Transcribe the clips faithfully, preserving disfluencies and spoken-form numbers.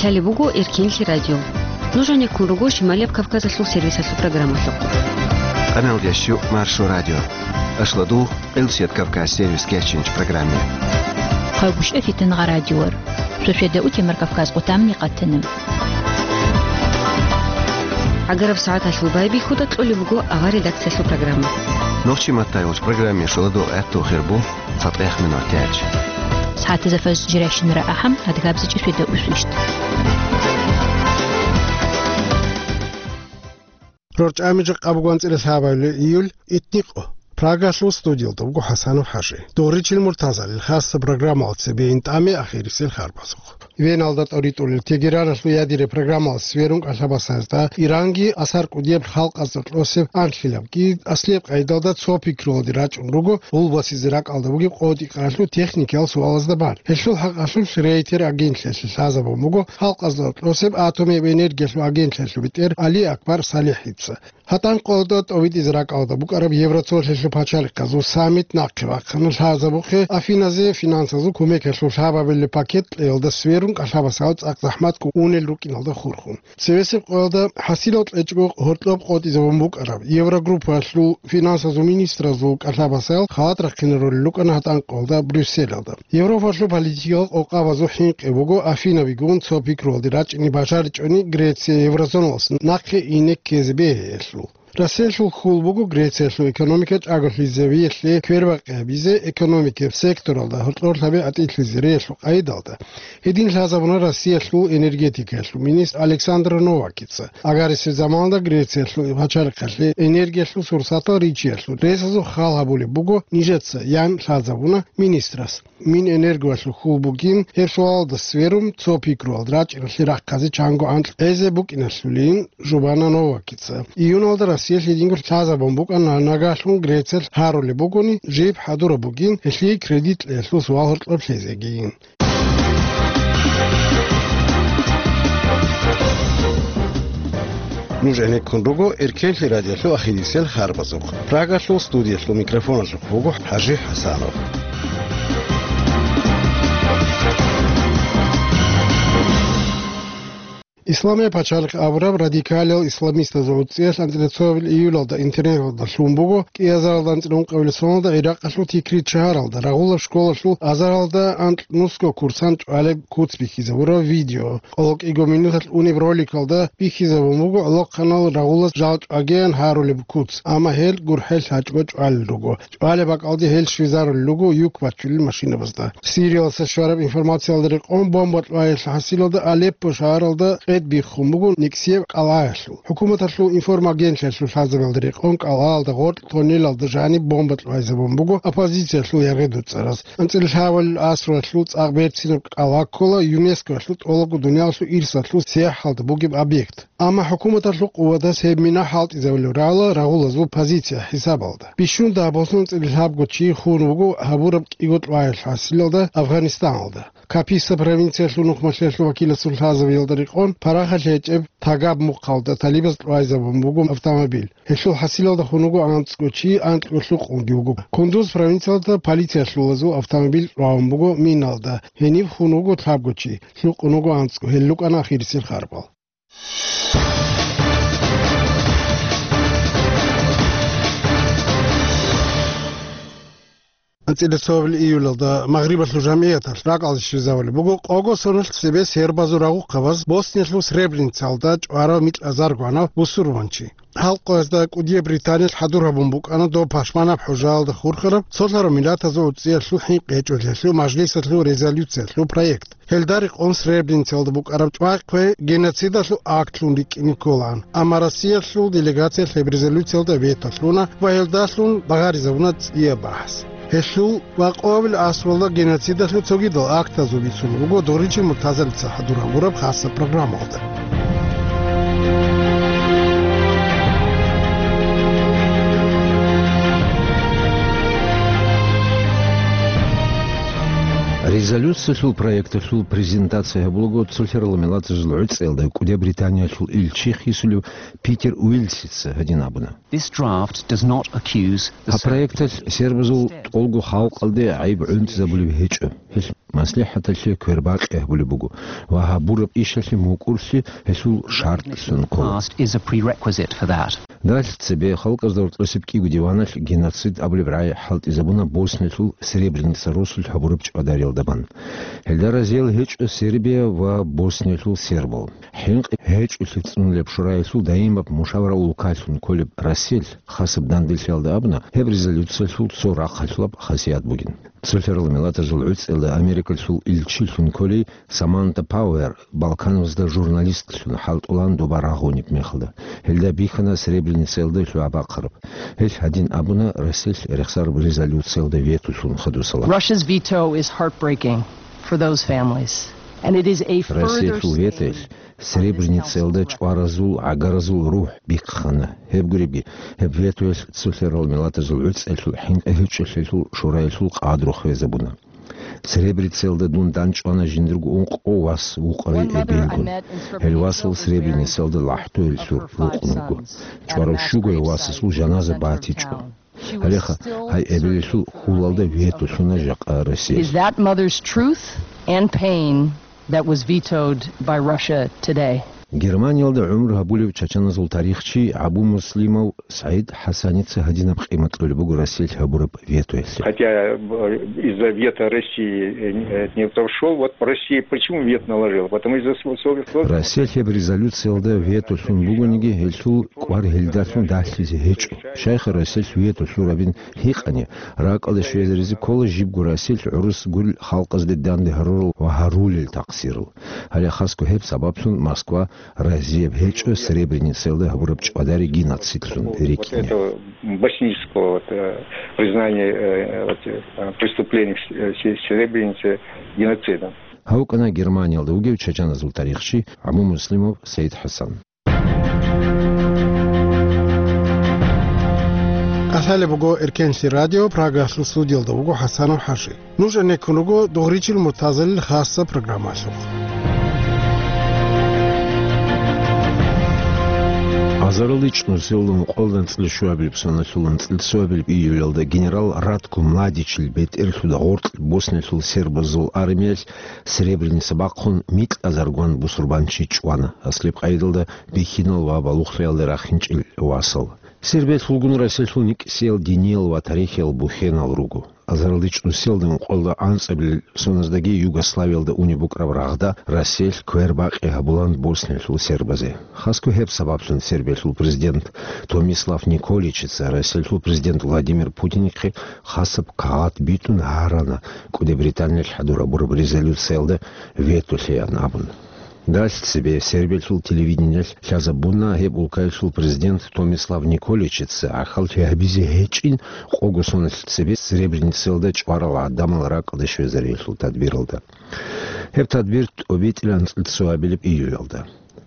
Лъалеб буго Эркенлъи радио. Нуж гьанеккун руго Шималияб Кавказалъул сервисалъул программалъухъ. Къаналда щу Маршо радио. Ашладу Къилсият Кавказ сервис кечинч программе. Хъагушев Фитнагъа радиор. Шошеда утемар Кавказ къутамни къатана. Агараб сагӀаталъул байбихьуда кьолеб буго авар редакциялъул программа. Нохчи маттай уч программе шуладу гӀатту хирбу. ЦатӀех минутач. СагӀатазда фажр жирайщинара ахӀам, адгабзичӀеб шведа усвищт. РорчӀами жакъа буго анцӀила лъабабилеб июль, итникъо. Прагалъул студиялда вуго ХӀасанов ХӀажи. Доричил муртазалил хасса программал цебе интӀаме ахирисел харбазухъ. Веналда тӀоритӀулел Тегераналъул ядире программалас сверун кӀалъабасазда Иранги асар кӀудияб халкъазда кьосеб анлъилабги аслияб къайдалда цо пикруялде рачӀун руго гъулбасизе ракӀалда бугеб къотӀи-къаралъул техникиял суалазда бан. Гьелъул хӀакъалъулъ Рейтер агентлъиялъе лъазабун буго халкъазда кьосеб атомияб энергиялъул агентлъиялъул бетӀер Али Акбар СалихӀица. ГьатӀан къоялда тӀовитӀизе ракӀалда букӀараб Евроцолъиялъул пачалихъазул саммит нахъе вахъана лъазабухъе Афиназе финансазул кумекалъул лъабабилеб пакет кьеялда сверун кӀалъабасал цӀакъ захӀматго унел рукӀиналда хурхун. Цевесеб къоялда хӀасилал кьечӀого гьоркьоб къотӀизабун букӀараб Еврогруппаялъул финансазул министразул кӀалъабасал халат рахъинарулел рукӀана гьатӀан къоялда Брюсселалда. Европалъул политикал къокъабазул хӀинкъи буго Афинабигун цо пикруялде рачӀине бажаричӀони Греция еврозоналас нахъе ине ккезе бегьиялъул. Россиялъул хьул буго Грециялъул экономика чӀаголъизавиялъе квербакъи гьабизе, экономикияб секторалда гьоркьор лъабе атӀилъизариялъул къайдалда. Гьедин лъазабуна Россиялъул энергетикаялъул министр Александр Новакица. Агарисеб заманалда Грециялъул пачалихъалъе энергиялъул сурсатал ричиялъул ресазул хал гьабулеб буго нижеца, ян лъазабуна министрас. Минэнергоялъул хьул бугин, гьеб суалалда сверун, цо пикруялда рачӀиналъе рахъазе чанго анкь гӀезе букӀиналъулин жубана Новакица. Июналда Россиялъ гьединго лъазабун букӀана, нагагьлъун Грециялъ гьарулеб бугони, жиб хӀадураб бугин гьелъие кредит кьеялъул суал гьоркьоб лъезегийин. Нуж гӀенеккун руго Эркенлъи радиолъул ахирисел харбазухъ. Прагалъул студиялъул микрофоналъухъ вуго ХӀажи ХӀасанов. Исламияб пачалихъ абураб радикалиял исламистазул гӀуцӀиялъ анцӀила цоабил июлалда интернеталда лъун буго, кӀиазаралда анцӀила ункъабилеб соналда Иракъалъул Тикрит шагьаралда рагъулаб школалъул азаралда анкь нусго курсант чӀвалеб куц бихьизабураб видео. Къоло кӀиго минуталъ унеб роликалда бихьизабун буго гӀолохъанал рагъулаз жал чӀвагеян гьарулеб куц, амма гьел гурхӀел лъачӀого чӀвалел руго. ЧӀвалеб бакӀалде гьел щвезарулел руго юк бачулел машинабазда. Сириялдаса щвараб информациялда рекъон, бомба кьваялъул хӀасилалда Алеппо шагьаралда къед биххун буго никсияб кӀалгӀаялъул. ХӀукуматалъул информагентлъиялъул лъазабиялда рекъон, кӀалгӀаялда гъоркь тоннелалда жаниб бомба кьвайзабун буго оппозициялъул яргъи-дуцӀараз. АнцӀила лъабабилеб асралъул цӀакъ берцинаб кӀалгӀа ккола ЮНЕСКОялъул тӀолабго дуниялалъул ирсалъул сияхӀалда бугеб объект. Амма хӀукуматалъул къуватаз гьеб мина хӀалтӀизабулеб рала рагъулазул позиция хӀисабалда. Бищун дагьаб босун анцӀила лъабго чи хун вуго гьабураб кӀиго кьваялъул хӀасилалда Афганистаналда. Каписа провинциялъул нухмалъиялъул вакиласул лъазабиялда рекъон, парахалъ гьечӀеб Тагаб мухъалда талибаз кьвайзабун буго автомобиль. Гьелъул хӀасилалда хун вуго анцӀго чи, анкьго лъукъунги вуго. Кундуз провинциялда полициялъулазул автомобиль кьвагьун буго миналда. Гьениб хун вуго лъабго чи, лъукъун вуго анцӀго, гьел рукӀана ахирисел харбал. АнцӀила цоабил июлалда Магърибалъул жамгӀияталъ ракӀалде щвезавулеб буго къого соналъ цебе сербазул рагъухъабаз Босниялъул Сребреницалда чӀварав микьазарго гьанав бусурманчи. Гьал къоязда кӀудияб Британиялъ хӀадур гьабун букӀана доб пашманаб хӀужаялда хурхараб цолъарав миллатазул гӀуцӀиялъул хӀинкъи гьечӀолъиялъул мажлисалъул резолюциялъул проект. Гьелда рекъон Сребреницалда букӀараб чӀвай-хъвей геноцидалъул актлъун рикӀкӀине кколаан, амма Россиялъул делегациялъ гьеб резолюциялда вето лъуна ва гьелдалъун багъаризабуна цӀияб бахӀс. Гьелъул ва къоабил асралда геноцидалъул цогидал актазул бицун буго Доричи Муртазалица хӀадур гьабураб хасаб программалда. Резолюциялъул проекталъул презентация гьабулаго цолъарал миллатазул гӀуцӀиялда кӀудияб Британиялъул илчи хисулев Питер Уилсица гьадин абуна. This draft does not accuse the Гьаб проекталъ сербазул тӀолго халкъалде гӀайиб гӀунтӀизабулеб гьечӀо. Гьелъ МаслихӀаталъе квербакъи гьабулеб буго ва гьабураб ишалъе мукӀурлъи гьелъул шартлъун ккола. Past is a prerequisite for that. Далъ цебе халкъазда гьоркьосеб кӀиго диваналъ геноцид абулеб рагӀи хӀалтӀизабуна Босниялъул Сребреница росулъ гьабураб чӀвадариялда бан. Гьелда разиял гьечӀо Сербия ва Босниялъул сербал. ХӀинкъи гьечӀолъи цӀунулеб шураялъул даимаб мушавара улкалъун кколеб Россиялъ хасаб данделъиялда абуна, гьеб резолюциялъул цо рахъалъулаб хасият бугин. Цолъарал миллатазул гӀуцӀиялда Америкалъул илчилъун кколей Саманта Пауэр Балканазда журналистлъун хӀалтӀулаан доба рагъунеб мехалда. Гьелда бихьана Сребреницаялда лъугӀа бахъараб. Гьелъ гьадин абуна Россиялъ рехсараб резолюциялда ветолъун хадусала. Russia's veto is heartbreaking for those families, and it is a further Россиялъул ветоялъ Сребреницаялда чӀваразул, гӀагаразул рухӀ бихъана. Гьеб гуребги, гьеб ветоялъ цолъарал миллатазул гӀуцӀиялъул хӀинкъи гьечӀолъиялъул шураялъул къадру хвезабуна. Сребреницаялда дун данчӀвана жиндирго ункъо вас вукъарай эбелгун. Гьел васал Сребреницаялда лахӀтоялъур рукъун руго. ЧӀварав щуго гьев васасул жаназа батичӀо. Гьалеха, гьай эбелалъул хьулалда ветолъуна жакъа Россия. Is that mother's truth and pain that was vetoed by Russia today? Германиялда гӀумру гьабулев чачаназул тарихчи Абу Муслимов СагӀид ХӀасаница гьадинаб къимат кьолеб буго Россиялъ гьабураб ветоялъе. Хотя, э, из-за вето России, э, не прошёл, вот Россия почему вето наложила? Потому из-за сво-, своих сложностей. Россиялъ гьеб резолюциялда ветолъун бугониги, гьелъул кӀвар гьелдалъун далъизе гьечӀо. Щайха Россиялъ ветолъурабин гьикъани, ракӀалде щвезаризе ккола жибго Россиялъ гӀурус гурел халкъазде данде гьарурал ва гьарулел такъсирал. Гьале хасго гьеб сабаблъун Москва разияб гьечӀо Сребреницаялда гьабураб чӀвадари геноцидлъун рикӀкӀине. Вот этого боснического вот, э, признания, э, вот, э, преступлений в С-, э, Се-, Сребренице геноцидом. Гьав вукӀана Германиялда вугев чачаназул тарихчи Абу Муслимов СагӀид ХӀасан. КӀалъалеб буго Эркенлъи радио, Прагалъул студиялда вуго ХӀасанов ХӀажи. Нуж гӀенеккун руго Дугъричил муртазалил хасса программалъухъ. Азаралда чӀунусиялда ункъоялда анцӀила щуабилеб соналъул анцӀила цоабилеб июлялда генерал Ратко Младичил бетӀерлъуда гъоркь Босниялъул сербазул армиялъ Сребреница бахъун микьазаргван бусурбанчи чӀвана, аслеб къайдалда бихьинал ва балугълъиялда рахинчӀел васал. Сербиялъулгун Россиялъул никӀсиял диниял ва тарихиял бухьенал руго. Азаралда чӀунусиялда ункъоялда анцӀабилеб соназдаги Югославиялда унеб букӀараб рагъда Россиялъ квербакъи гьабулаан Босниялъул сербазе. Хасго гьеб сабаблъун Сербиялъул президент Томислав Николичица Россиялъул президент Владимир Путинихъе хасаб кагъат битӀун гьарана, КӀуди Британиялъ хӀадур гьабураб резолюциялда ветолъеян абун. Далъ цебе Сербиялъул телевидениялъ лъазабуна гьеб улкаялъул президент Томислав Николичица гӀахьаллъи гьабизе гьечӀин къого соналъ цебе Сребреницаялда чӀварал гӀадамал ракӀалде щвезариялъул тадбиралда. Гьеб тадбир тӀобитӀила анцӀила цоабилеб июлялда.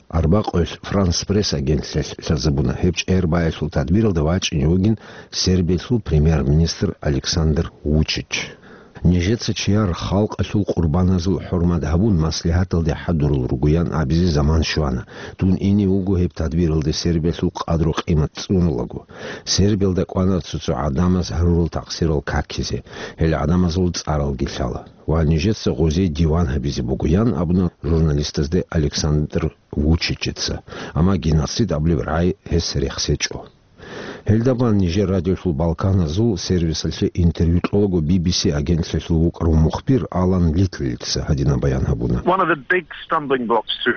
Арбакъоялъ Франс Пресс агентлъиялъ лъазабуна гьеб чӀегӀер баялъул тадбиралда вачӀине вугин Сербиялъул премьер-министр Александр Вучич. Нижеца чияр халкъалъул къурбаназул хӀурмат гьабун маслигьаталде хӀадурал ругоян абизе заман щвана. Дун ине вуго гьеб тадбиралде Сербиялъул къадру-къимат цӀунулаго. Сербиялда кӀвана цо-цо гӀадамаз гьарурал такъсирал какизе, гьел гӀадамазул цӀаралги лъала. Ва нижеца гъозие диван гьабизе бугоян абуна журналистазде Александр Вучичица. Амма геноцид абулеб рагӀи гьес рехсечӀо. Гьелда бан нижер радиолъул Балканазул сервисалъе интервью кьолаго Би Би Си агентлъиялъул вукӀарав мухбир Алан Литлица гьадинаб баян гьабуна. One of the big stumbling blocks to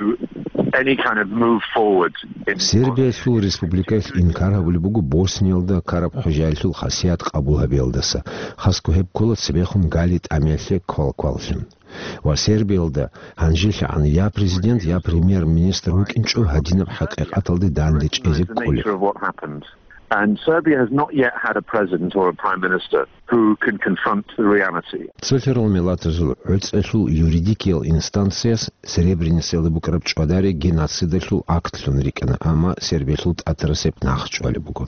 any kind of move forward in Сербиялъул республикаялъ инкар гьабулеб буго Босниялда ккараб хӀужаялъул хасият къабул гьабиялдаса, хасго гьеб ккола цебехун гали тӀамиялъе квалкваллъун. Ва Сербиялда гьанжелъагӀан я президент, я премьер-министр вукӀинчӀо гьадинаб хӀакъикъаталде данде чӀезе кколеб. And Serbia has not yet had a president or a prime minister who can confront the reality. Цолъарал миллатазул гӀуцӀиялъул юридикиял инстанцияс Сребреницаялда букӀараб чӀвадари геноцидалъул актлъун рикӀкӀана, амма Сербиялъул тӀатарасеб нахъ чӀвалеб буго.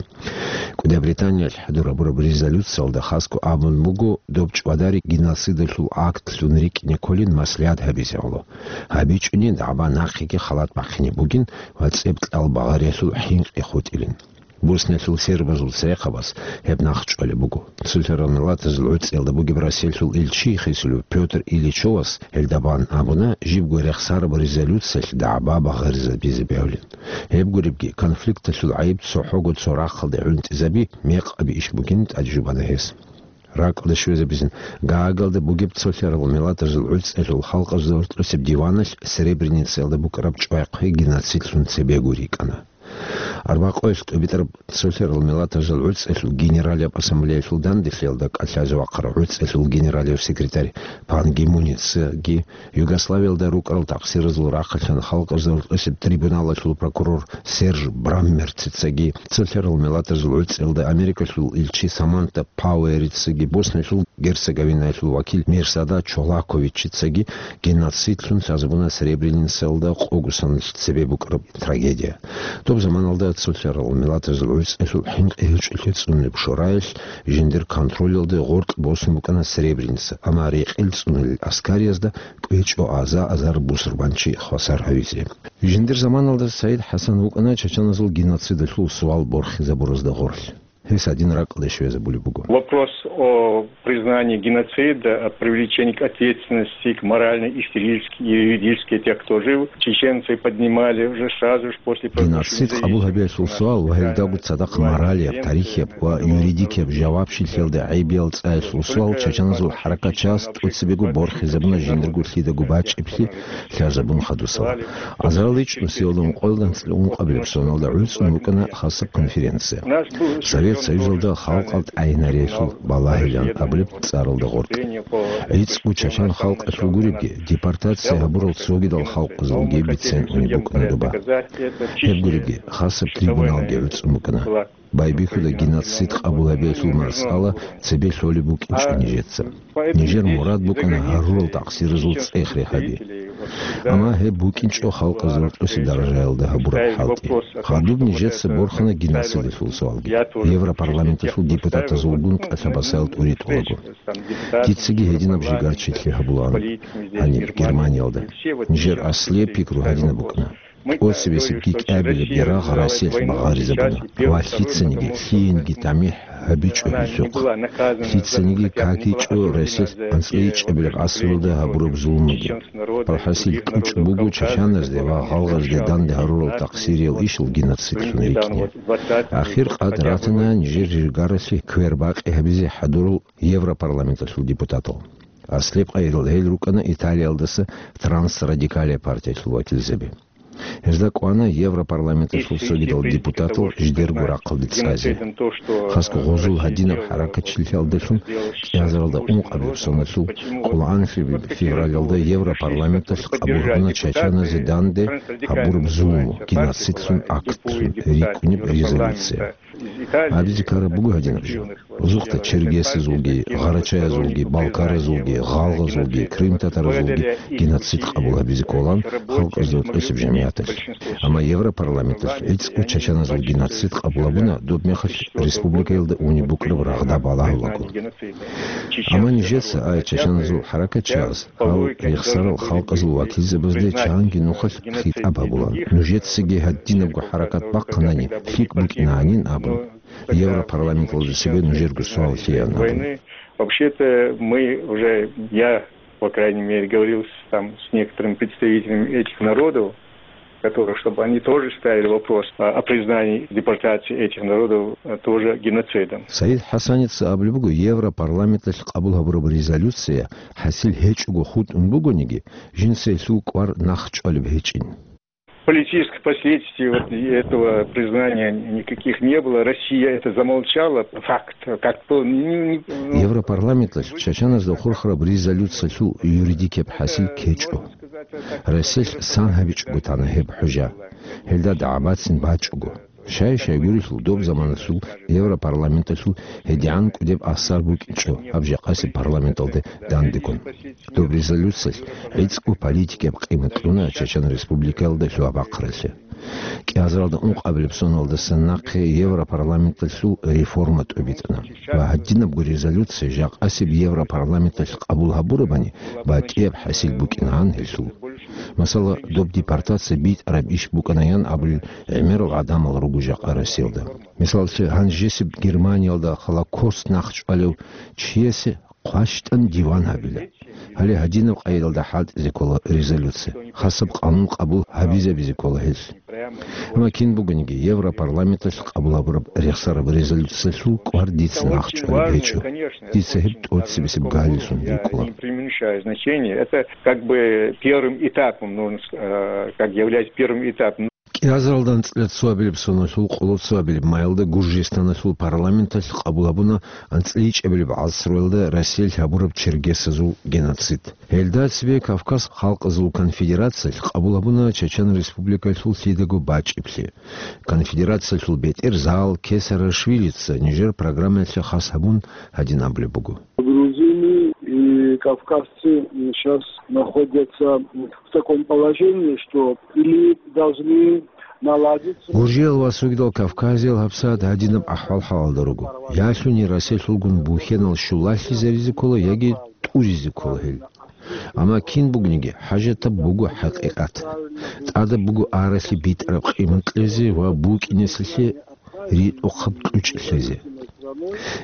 КӀуди Британиялъ хӀадур гьабураб резолюциялда хасго абун буго, доб чӀвадари геноцидалъул актлъун рикӀкӀине кколин маслигьат гьабизе гӀоло. ГьабичӀони дагӀба нахъеги халат бахъине бугин ва цӀебкьал багъариялъул хӀинкъи хутӀилин. Босниялъул сербазул церехъабаз гьеб нахъ чӀвалеб буго. Цолъарал миллатазул гӀуцӀиялда бугеб Россиялъул илчи хисулев Пётр Ильичовас гьелда бан абуна, жибго рехсараб резолюциялъ дагӀба багъаризабизе бегьулин. Гьеб гуребги, конфликталъул гӀайиб цохӀого цо рахъалде гӀунтӀизаби, мекъаби иш бугин тӀадежубана гьес. РакӀалде щвезабизин, Гаагалда бугеб Цолъарал миллатазул гӀуцӀиялъул халкъазул гьоркьосеб диваналъ Сребреницаялда букӀараб чӀвай-хъвей геноцидлъун цебего рикӀкӀана. Арбакъоялъ тӀубитӀараб Цолъарал миллатазул гӀуцӀиялъул Генералияб ассамблеялъул данделъиялда кӀалъазе вахъарав гӀуцӀиялъул генералияб секретарь Пан Ги Муницаги, Югославиялда рукӀарал такъсиразул рахъалъан халкъазул гьоркьосеб трибуналалъул прокурор Серж Браммерцицаги, Цолъарал миллатазул гӀуцӀиялда Америкалъул илчи Саманта Пауэрицаги, Босниялъул Герцеговинаялъул вакил Мерсада Чолаковичицаги геноцидлъун лъазабуна Сребреницаялда къогосаналъ цебе букӀараб трагедия. Доб заманалда Цолъарал миллатазул гӀуцӀиялъул хӀинкъи гьечӀолъи цӀунулеб шораялъ жиндир контролалде гъоркь босун букӀана Сребреница, амма рекъел цӀунулел аскариязда кӀвечӀо аза-азар бусурбанчи хвасар гьавизе. Жиндир заманалда Саид ХӀасан вукӀана чачаназул геноцидалъул суал борхизабуразда гъорлъ. Гьес гьадин ракӀалде щвезабулеб буго. Вопрос о признании геноцида, о привлечении к ответственности, к моральной, исторической и юридической тех, кто жил, чеченцы поднимали уже сразу же после... Геноцид къабул гьабиялъул суал ва гьелдаго цадахъ моралияб, тарихияб ва юридикияб жавабчилъиялда гӀайибиял цӀаялъул суал чачаназул хӀаракатчияс тӀоцебего борхизабуна жиндирго лъидаго бачӀиблъи лъазабун хадусала. Азарал ичӀнусиялда ункъоялда анцӀила ункъабилеб соналда гӀуцӀун букӀана хасаб конференция. Совет Союзалда халкъалда тӀагӀинариялъул балагьилан абулеб цӀаралда гъоркь. ГӀицӀго чачан халкъалъул гуребги, депортация гьабурал цогидал халкъазулги бицен унеб букӀана доба. Гьеб гуребги, хасаб трибуналги гӀуцӀун букӀана. Байбихьуда геноцид къабул гьабиялъул масъала цебе лъолеб букӀинчӀо нижеца. Нижер мурад букӀана гьарурал такъсиразул цӀех рехаби. Амма гьеб букӀинчӀо халкъазул тӀоси даражаялда гьабураб хӀалтӀи. Гьадуб нижеца борхана геноцидалъул суалги, Европарламенталъул депутатазулгун кӀалъабасаял тӀуритӀулаго. Дицаги гьединаб жигарчилъи гьабулаан гьаниб Германиялда. Нижер аслияб пикру гьадинаб букӀана. ТӀоцебесеб кӀикӀабилеб ярагъ Россиялъ багъаризабуна ва лъицаниги, лъиениги тамихӀ гьабичӀо гьелъухъ. Лъицаниги какичӀо Россиялъ анцӀила ичӀабилеб гӀасралда гьабураб зулмуги. ХӀасил кьучӀ буго чачаназде ва гъалгъазде данде гьарурал такъсириял ишал геноцидлъун рикӀкӀине. Ахир къад ратана нижер жигаралъе квербакъи гьабизе хӀадурал Европарламенталъул депутатал. Аслеб къайилал гьел рукӀана Италиялдаса Трансрадикалия партиялъул вакилзаби. Гьезда кӀвана Европарламенталъул цогидал депутатал жидерго рахъалде цӀазе. Хасго гъозул гьадинаб хӀаракатчилъиялдалъун кӀиазаралда ункъабилеб соналъул къоло анлъабилеб февралалда Европарламенталъ къабул гьабуна чачаназе данде гьабураб зулму, геноцидлъун актлъун рикӀкӀунеб резолюция. Абизе ккараб буго гьадинаб жо. Озухъда черкесазулги, гъарачаязулги, балкаразулги, гъалгъазулги, крымтатаразулги геноцид къабул гьабизе кӀолан халкъазул тӀоцеб жамигӀаталъ. Амма Европарламенталъ гӀицӀго чачаназул геноцид къабул гьабуна, доб мехалъ республикаялда унеб букӀараб рагъда балагьулаго. Амма нижеца, ай чачаназул хӀаракатчияс, гьал рехсарал халкъазул вакилзабазде чанги нухалъ хитӀаб гьабулан. Нужецаги гьадинабго хӀаракат бахъанани, лъикӀ букӀинанин абун, Европарламенталда цебе нужерго суал лъеян абун. Вообще-то мы уже, я, по крайней мере, говорил с, там, с некоторыми представителями этих народов, которых, чтобы они тоже ставили вопрос о, о признании депортации этих народов, э, тоже геноцидом. Саид ХӀасаница абулеб буго, Европарламенталъ къабул гьабураб резолюция хӀасил гьечӀого хутӀун бугониги, жинца гьелъул кӀвар нахъ чӀвалеб гьечӀин. Политических последствий вот этого признания никаких не было. Россия это замолчала, факт, как бы, не, не, ну. Европарламенталъ чачаназда хурхараб резолюциялъул юридикияб хӀасил ккечӀо. Россиялъ сан гьабичӀого тана гьеб хӀужа. Гьелда дагӀбацин бачӀого. Щай-щай гурелъул доб заманалъул Европарламенталъул гьедигӀан кӀудеб асар букӀинчӀо гьаб жакъасеб парламенталде дандеккун. Доб резолюциялъ гӀицӀго политикияб къимат кьуна Чечен Республикаялда лъугьа-бахъаралъе. КӀиазаралда ункъабилеб соналдасан нахъе Европарламенталъул реформа тӀубитӀана ва гьадинабго резолюция жакъасеб Европарламенталъ къабул гьабурабани, бакӀияб хӀасил букӀинагӀан гьелъул. Масала, доб депортация битӀараб иш букӀанаян абулел гӀемерал гӀадамал руго жакъа Россиялда. Мисаллъи, гьанжесеб Германиялда Холокост нахъчӀвалев чиясе хъващтӀан диван гьабила. Гьале гьадинаб къайдалда хӀалтӀизе ккола резолюция. Хасаб къанун къабул гьабизабизе ккола гьелъ. Амма кин бугониги, Европарламенталъ къабул гьабураб рехсараб резолюциялъул кӀвар дица нахъчӀвалеб гьечӀо. Дица гьеб тӀоцебесеб галилъун рикӀкӀула. Преуменьшаю значение. Это как бы первым этапом, нужно ск-, э, как является первым этапом. КӀиазаралда анцӀила цоабилеб соналъул къоло цоабилеб майалда Гуржистаналъул парламенталъ къабул гьабуна анцӀила ичӀабилеб гӀасруялда Россиялъ гьабураб чергесазул геноцид. Гьелда цебе Кавказ халкъазул конфедерациялъ къабул гьабуна Чечен Республикалъул лъидаго бачӀиблъи. Конфедерациялъул бетӀер Заал Кесарашвилица нижер программаялъе хас гьабун гьадин абулеб буго. Грузины и кавказцы сейчас находятся в таком положении, что или должны наладиться. Гуржиял ва цогидал Кавказиял гьабсагӀат гьадинаб ахӀвал-хӀалалда руго. Я лъугьуни Россиялъулгун бухьенал щулалъизаризе ккола яги тӀуризе ккола гьел. Амма кин бугониги, хӀажатаб буго хӀакъикъат. ТӀадаб буго аралъи битӀараб къимат кьезе ва букӀинесалъе ритӀухъаб кьучӀ лъезе.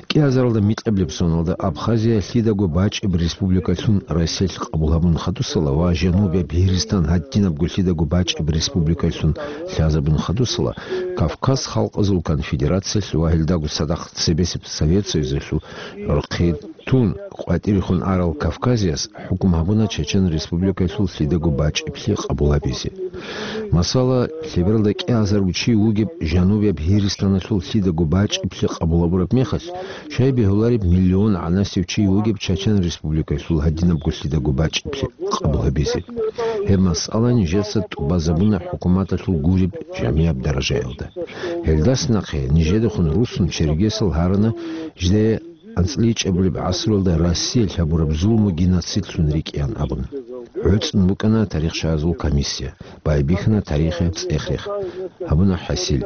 КӀиазаралда микьабилеб соналда Абхазия лъидаго бачӀеб республикалъун Россиялъ къабул гьабун хадусала ва Жанубияб Льиристан гьадинабго лъидаго бачӀеб республикалъун лъазабун хадусала, Кавказ халкъазул конфедерациялъ ва гьелдаго цадахъ цебесеб Совет Союзалъул рохъи тун къватӀирехун арал Кавказияс хӀукму гьабуна Чечен Республикалъул лъидаго бачӀиблъи къабул гьабизе. Масала, лъебералда кӀиазарго чи вугеб Жанубияб Гьиристаналъул лъидаго бачӀиблъи къабул гьабураб мехалъ, щай бегьулареб миллион гӀанасев чи вугеб Чечен Республикалъул гьадинабго лъидаго бачӀиблъи къабул гьабизе. Гьеб масъала нижеца тӀубазабуна хӀукуматалъул гуреб жамияб даражаялда. Гьелдаса нахъе нижедехун руссун чергесал гьарана жидее анцӀила ичӀабилеб гӀасруялда Россиялъ гьабураб зулму геноцидлъун рикӀкӀиан абун. ГӀуцӀун букӀана тарихшаразул комиссия, байбихьана тарихияб цӀех-рех, гьабуна хӀасил.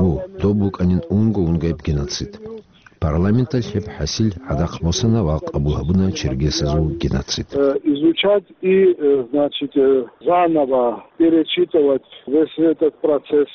У, доб букӀанин унго-унгояб геноцид. Парламенталъ гьеб хӀасил гӀадахъ босана ва къабул гьабуна чергесазул геноцид. Э, изучать и, э, значит, э, заново перечитывать весь этот процесс.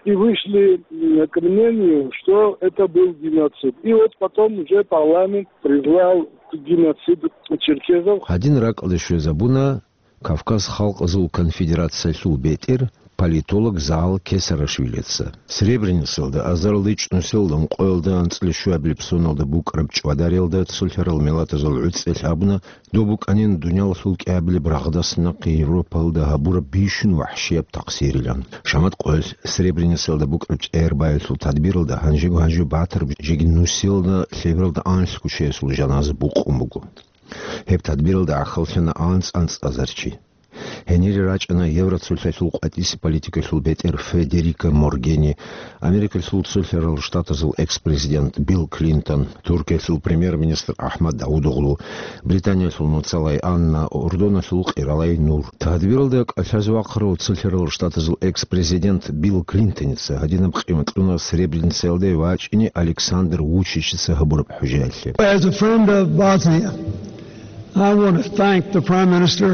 И вышли, м, к мнению, что это был геноцид. И вот потом уже парламент признал геноцид черкесов. Гьадин ракӀалде щвезабуна Кавказ халкъазул конфедерациялъул бетӀер политолог Заал Кесарашвилица. Сребреницалда, азарилда ичӀнусиялда ункъоялда анцӀила щуабилеб соналда букӀараб чӀвадариялда цолъарал миллатазул гӀуцӀиялъ абуна, доб букӀанин дуниялалъул кӀиабилеб рагъдас нахъе Европалда гьабураб бищун вахӀшияб такъсирилан. Шамат къоялъ Сребреницалда букӀараб чӀегӀер баялъул тадбиралда гьанжего-гьанже батараб жеги нусиялда лъебералда анлъго чиясул жаназа букъун буго. Гьеб тадбиралда гӀахьаллъана анцӀ-анцӀазар чи. Гьенире рачӀана Евроцолъалъул къватӀиса политикалъул бетӀер Федерика Моргерини, Америкалъул Цолъарал Штатазул экс-президент Билл Клинтон, Туркиялъул премьер-министр Ахмад Давудоглу, Британиялъул муцалай Анна, Урдуналъул къиралай Нур. Тадбиралда кӀалъазе вахъарав Цолъарал Штатазул экс-президент Билл Клинтоница гьадинаб къимат кьуна Сребреницаялде вачӀине Александр Вучичица гьабураб хӀужаялъе. As a friend of Bosnia, I want to thank the Prime Minister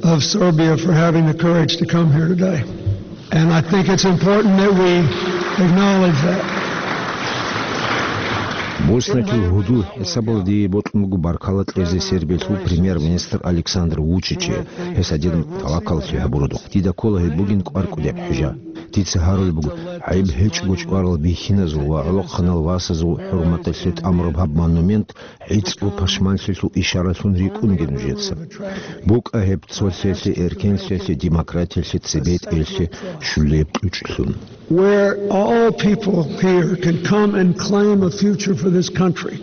of Serbia for having the courage to come here today. And I think it's important that we acknowledge that. Босниялъул гьудул хӀисабалде бокьун буго баркала кьезе Сербиялъул премьер-министр Александр Вучиче, гьес гьадинаб тавакаллъи гьабураб. Дида ккола гьеб бугин кӀвар-кӀудияб хӀужа. Дица гьарулеб буго, гӀайиб гьечӀого чӀварал бихьиназул ва гӀолохъанал васазул хӀурматалъе тӀамураб гьаб монумент гӀицӀго пашманлъиялъул ишаралъун рикӀкӀунге нужеца. БукӀа гьеб цолъиялъе, эркенлъиялъе, демократиялъе, цебетӀералъе щулеб кьучӀлъун. Where all people here can come and claim a future for this country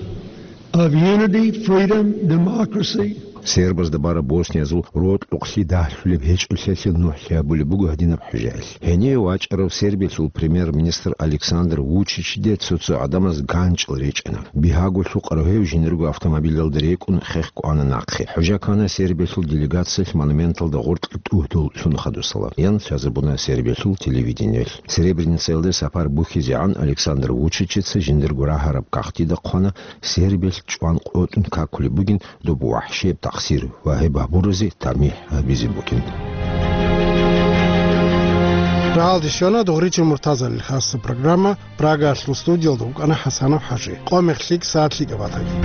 of unity, freedom, democracy. Сербазда бараб босниязул рокьукълъи дагьлъулеб гьечӀолъиялъе нухӀлъи гьабулеб буго гьадинаб хӀужаялъ. Гьенив вачӀарав Сербиялъул премьер-министр Александр Вучичиде цо-цо гӀадамаз ганчӀал речӀана. Бигьаго лъукъарав гьев жиндирго автомобилалда рекӀун хехго ана нахъе. ХӀужа ккана Сербиялъул делегациялъ монументалда гъоркье тӀугьдул лъун хадусала. Ян лъазабуна Сербиялъул телевидениелъ. Сребреницаялде сапар бухьизегӀан Александр Вучичица жиндирго рагьараб кагътида хъвана Сербиялъ чӀван къотӀун какулеб бугин доб вахӀшияб такъсир ва гьеб гьабуразе тамихӀ гьабизе букӀин. Рагьалде щвана Дугъричил Муртазалил хасса программа. Прагаялъул студиялда вукӀана ХӀасанов ХӀажи. Къо-мех лъикӀ, сагӀат лъикӀаб батаги.